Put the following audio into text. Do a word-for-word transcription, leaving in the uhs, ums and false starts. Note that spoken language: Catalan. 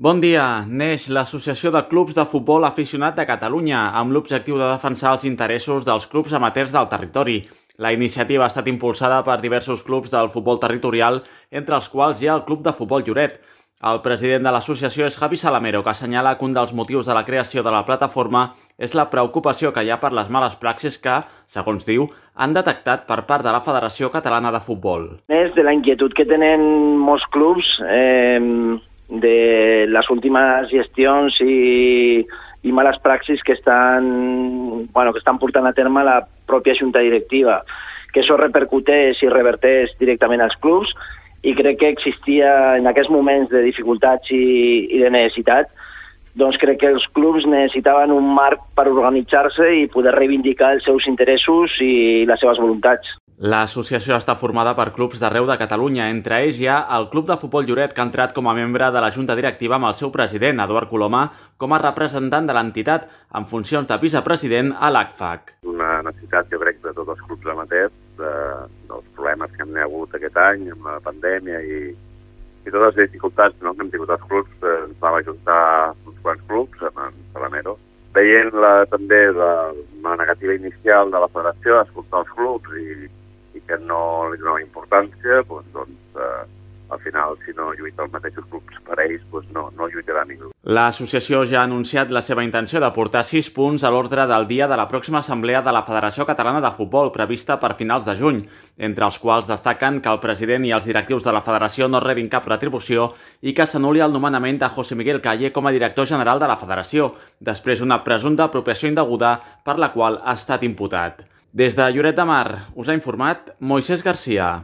Bon dia. Neix l'Associació de Clubs de Futbol Aficionat de Catalunya amb l'objectiu de defensar els interessos dels clubs amateurs del territori. La iniciativa ha estat impulsada per diversos clubs del futbol territorial, entre els quals hi ha el Club de Futbol Lloret. El president de l'associació és Javi Salamero, que assenyala que un dels motius de la creació de la plataforma és la preocupació que hi ha per les males praxis que, segons diu, han detectat per part de la Federació Catalana de Futbol. És de la inquietud que tenen molts clubs eh, de les últimes gestions i, i males praxis que estan, bueno, que estan portant a terme la pròpia junta directiva, que això repercuteix i reverteix directament als clubs, i crec que existia en aquests moments de dificultats i, i de necessitat, doncs crec que els clubs necessitaven un marc per organitzar-se i poder reivindicar els seus interessos i les seves voluntats. L'associació està formada per clubs d'arreu de Catalunya. Entre ells hi ha el Club de Futbol Lloret, que ha entrat com a membre de la Junta Directiva amb el seu president, Eduard Coloma, com a representant de l'entitat, en funcions de vicepresident a l'A C F A C. Una necessitat, jo crec, de tots els clubs amateurs, de, dels problemes que hem hagut aquest any amb la pandèmia i, i totes les dificultats, no?, que hem tingut els clubs. Eh, ens vam ajuntar uns quants clubs amb en Salamero. Veient la, també la, la negativa inicial de la federació a escoltar els clubs i i que no li donava importància, doncs, doncs eh, al final, si no lluita els mateixos clubs per ells, doncs no, no lluitarà ningú. L'associació ja ha anunciat la seva intenció de portar sis punts a l'ordre del dia de la pròxima assemblea de la Federació Catalana de Futbol, prevista per finals de juny, entre els quals destaquen que el president i els directius de la federació no rebin cap retribució i que s'anul·li el nomenament de José Miguel Calle com a director general de la federació, després d'una presumpta apropiació indeguda per la qual ha estat imputat. Des de Lloret de Mar us ha informat Moisés Garcia.